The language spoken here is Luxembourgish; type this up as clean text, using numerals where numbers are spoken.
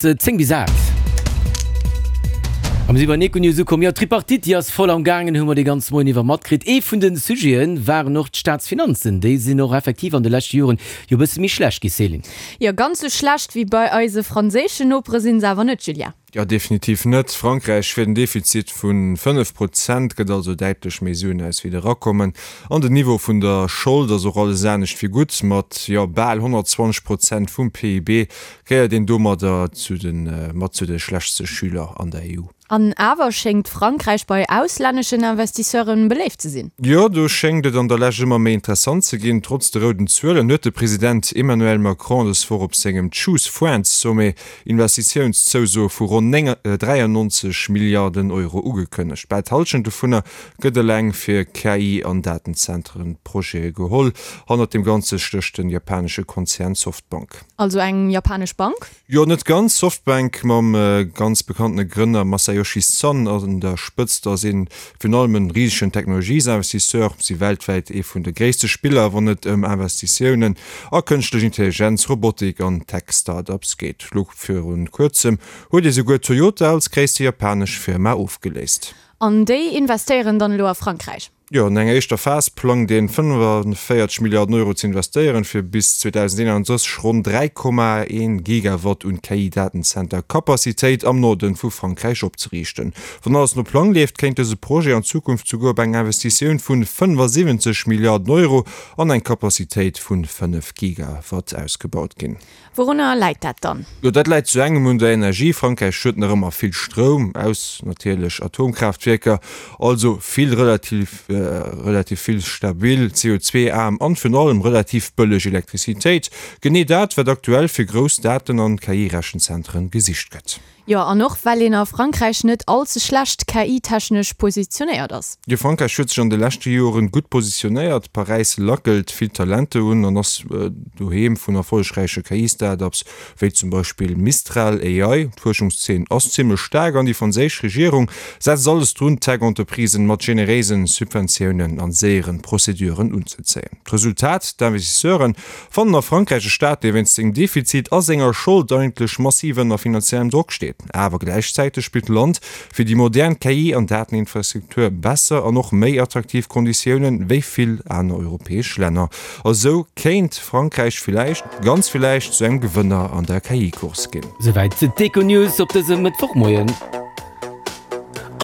10 bis 8. A mir si bei den Econews ukomm. Jo, d'Tripartite, déi ass voll am gaangen, hu mer de ganze Moien iwwer matkritt. Ee vun de Sujete waren och d'Staatsfinanzen. Déi sinn och effektiv an de leschte Joren jo e bësse méi schlecht gi, Céline. Jo, ganz sou schlecht wéi bei eise franséischen Nopere sinn se awer net, Julien. Jo, definitiv net. Frankräich fiert en Defizit vu 5 Prozent, gëtt also däitlech méi Suen aus wéi erakommen. An den Niveau vun der Schold ass och alles anescht wéi gutt. Mat, jo, bal 120 Prozent vum PIB Gehéiert een domadder zu de mat zu de schlechtste Schüler an der EU? An awer schéngt Frankräich bei auslänneschen Investisseuren beléift ze sinn. Jo, do schéngt et an der Lescht ëmmer méi interessant ze ginn. Trotz de rouden Zuelen huet de President Emmanuel Macron dës Woch op sengem Choose France Sommet Investitiounszousoe vu ronn 93 Milliarden Euro ugekënnegt. Bal d'Hallschent dovunner gëtt eleng fir KI an Datenzentren Projete geholl. Hannert deem Ganze stécht de japanesche Konzern Softbank. Also eng japanesch Bank? Jo, net ganz. Softbank mam ganz bekanntene Grënner Masayoshi Son an der Spëtzt ass een virun allem en risegen Technologiesinvestisseur. Si weltwäit ee vun de gréisste Spiller wann et ëm Investitiounen a kënschtlech Intelligenz, Robotik an Tech-Startups geet. Lo virun kuerzem huet ee souguer Toyota als gréisste japanesch Firma ofgeléist. An déi investéieren dann elo a Frankräich? Jo, an enger éischter Phas plangt een 45 Milliarden Euro ze investéieren, fir bis 2031 ronn 3,1 Gigawatt un KI-Datenzenter-Capacitéit am Norden vu Frankräich opzeriichten. Wann alles no Plang leeft, kéint dëse Projet an Zukunft souguer op eng Investitioun vun 75 Milliarden Euro an eng Capacitéit vun 5 Gigawatt ausgebaut ginn. Wourunner läit dat dann? Jo, dat läit zu engem un der Energie. Frankräich huet nach ëmmer vill Stroum aus natierlech Atomkraaftwierker, also vill relativ relativ vill stabil, CO2-aarm an virun allem relativ bëlleg Elektrizitéit. Genee dat, wat aktuell fir grouss Daten an KI-Rechenzentren gesicht gëtt. Jo, an och well een a Frankräich net all ze schlecht KI-technesch positionéiert ass. Jo, Frankräich huet sech an de leschte Joren gutt positionéiert. Paräis lackelt vill Talente un an ass doheem vun erfollegräiche KI-Startups wéi zum Beispill Mistral AI. D'Fuerschungszeen ass zimmlech staark an déi franséisch Regierung setzt alles drun, Tech-Entreprisen mat generéisen Subventiounen an séieren Prozeduren unzezéien. D'Resultat, D'Investisseuren Fannen a Frankräich e Staat, dee wéinst sengem Defizit a senger Schold eigentlech massiv ënner finanziellem Drock steet. Awer gläichzäiteg bitt d'Land fir déi modern KI an Dateninfrastruktur besser an och méi attraktiv Konditiounen wéi vill aner europäesch Länner. A sou kéint Frankräich villäicht, ganz villäicht, zu engem Gewënner an der KI-Course ginn. Souwäit d'Econews op dësem Mëttwochmoien.